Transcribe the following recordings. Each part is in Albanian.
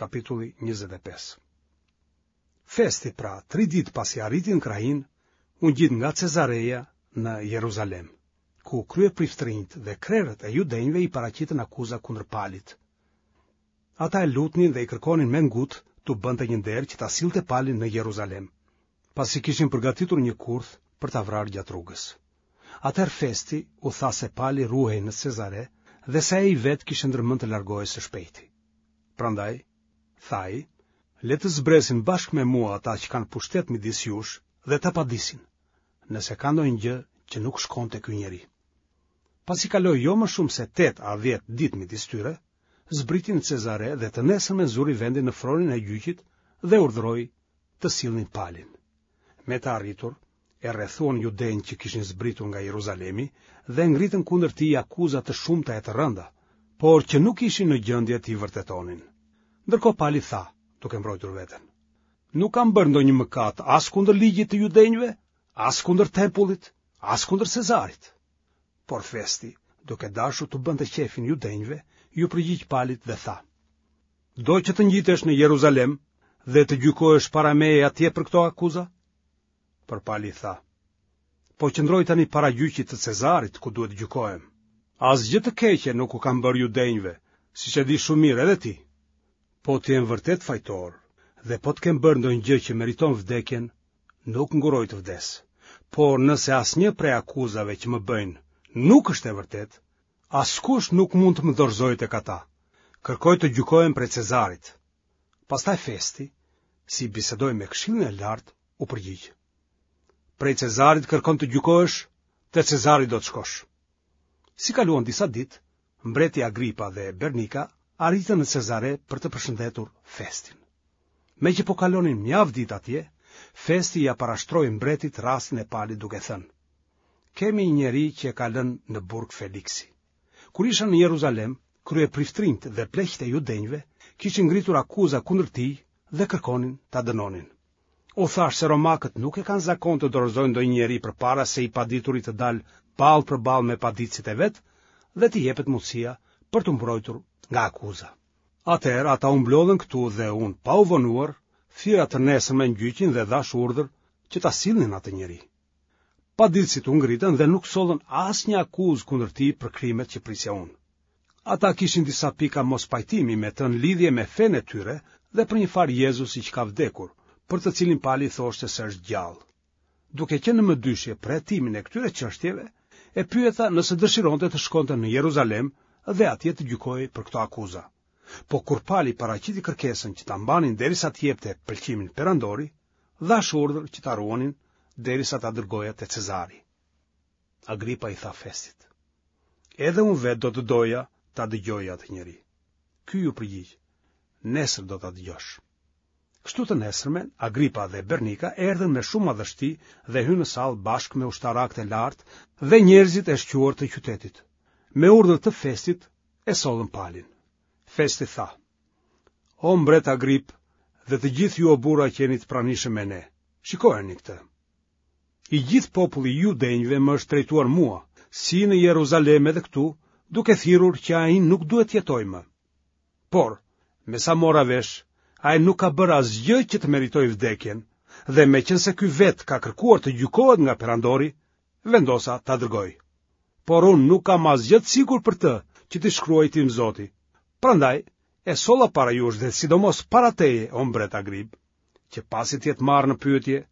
Kapitulli 25. Festi pra, tri ditë pasi arriti në krahinë, u ngjit nga Cezareja në Jeruzalem, ku kryepriftërinjtë dhe krerët e judenjve i paraqitën akuza kundër Palit. Ata e lutnin dhe i kërkonin me ngut t'u bënte një nder që ta sillte Palin në Jeruzalem, pasi kishin përgatitur një kurth për ta vrarë gjatë rrugës. Atëherë Festi u tha se Pali ruhej në Cezare dhe se ai vetë kishte ndërmend të largohej së shpejti. Prandaj, tha ai, le të zbresin bashkë me mua ata që kanë pushtet midis jush dhe ta padisin, nëse ka ndonjë gjë që nuk shkon te ky njeri. Pasi kaloi jo më shumë se 8 a 10 ditë midis tyre, zbriti në Cezare dhe të nesërmen zuri vendin në fronin e gjyqit dhe urdhëroi të sillnin Palin. Me të arritur, e rrethuan judenjtë që kishin zbritur nga Jeruzalemi dhe ngritën kundër tij akuza të shumta e të rënda, por që nuk ishin në gjendje t'i vërtetonin. Ndërkohë Pali tha, duke mbrojtur veten: Nuk kam bërë ndonjë mëkat as kundër ligjit të judenjve, as kundër tempullit, as kundër Cezarit. Por Festi, duke dashur t'u bënte qejfin judenjve, iu përgjigj Palit dhe tha: Do që të ngjitesh në Jeruzalem dhe të gjykohesh para meje atje për këto akuza? Por Pali tha: Po qëndroj tani para gjyqit të Cezarit, ku duhet të gjykohem. Asgjë të keqe nuk u kam bërë judenjve, siç e di shumë mirë edhe ti. Po të jem vërtet fajtor dhe po të kem bërë ndonjë gjë që meriton vdekjen, nuk ngurroj të vdes. Por nëse asnjë prej akuzave që më bëjnë nuk është e vërtetë, askush nuk mund të më dorëzojë tek ata. Kërkoj të gjykohem prej Cezarit. Pastaj Festi, si bisedoi me Këshillin e Lartë, u përgjigj. Prej Cezarit kërkon të gjykohesh, te Cezari do të shkosh. Si kaluan disa ditë, mbreti Agripa dhe Bernika arritën në Cezare për të përshëndetur Festin. Meqë po kalonin mjaft ditë atje, Festi ia parashtroi mbretit rastin e Palit duke thënë: Kemi një njeri që e ka lënë në burg Feliksi. Kur isha në Jeruzalem, kryepriftërinjtë dhe pleqtë e judenjve kishin ngritur akuza kundër tij dhe kërkonin ta dënonin. U thashë se romakët nuk e kanë zakon të dorëzojnë ndonjë njeri përpara se i padituri të dalë ballë për ballë me paditësit e vet dhe t'i jepet mundësia për t'u mbrojtur nga akuza. Atëherë ata u mblodhën këtu dhe unë, pa u vonuar, thirra të nesërmen gjyqin dhe dhashë urdhër që ta sillnin atë njeri. Paditësit u ngritën dhe nuk sollën asnjë akuzë kundër tij për krimet që prisja unë. Ata kishin disa pika mospajtimi me të në lidhje me fenë e tyre dhe për një farë Jezusi që ka vdekur, për të cilin Pali thoshte se është gjallë. Duke qenë në mëdyshje për hetimin e këtyre çështjeve, e pyeta nëse dëshironte të shkonte në Jeruzalem dhe atje të gjykohej për këto akuza. Po kur Pali paraqiti kërkesën që ta mbanin derisa të jepte pëlqimin perandori, dhashë urdhër që ta ruanin derisa ta dërgoja te Cezari. Agripa i tha Festit. Edhe unë vetë do të doja ta dëgjoja atë njeri. Ky iu përgjigj, nesër do ta dëgjosh. Kështu të nesërmen, Agripa dhe Bernika erdhën me shumë madhështi dhe hynë në sallë bashkë me ushtarakët e lartë dhe njerëzit e shquar të qytetit. Me urdhër të Festit e sollën Palin. Festi tha: O mbret Agrip dhe të gjithë ju o burra që jeni të pranishëm me ne, shikojeni këtë. I gjithë populli i judenjve më është drejtuar mua, si në Jeruzalem edhe këtu, duke thirrur që ai nuk duhet të jetojë më. Por, me sa mora vesh, ai nuk ka bërë asgjë që të meritojë vdekjen, dhe meqenëse ky vetë ka kërkuar të gjykohet nga perandori, vendosa ta dërgoj. Por unë nuk kam asgjë të sigurt për të që t'i shkruaj tim zoti. Prandaj, e solla para jush dhe sidomos para teje, o mbret Agrip, që pasi të jetë marrë në pyetje,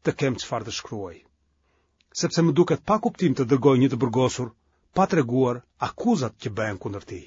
të kem çfarë të shkruaj. Sepse më duket pa kuptim të dërgoj një të burgosur pa treguar akuzat që bëhen kundër tij.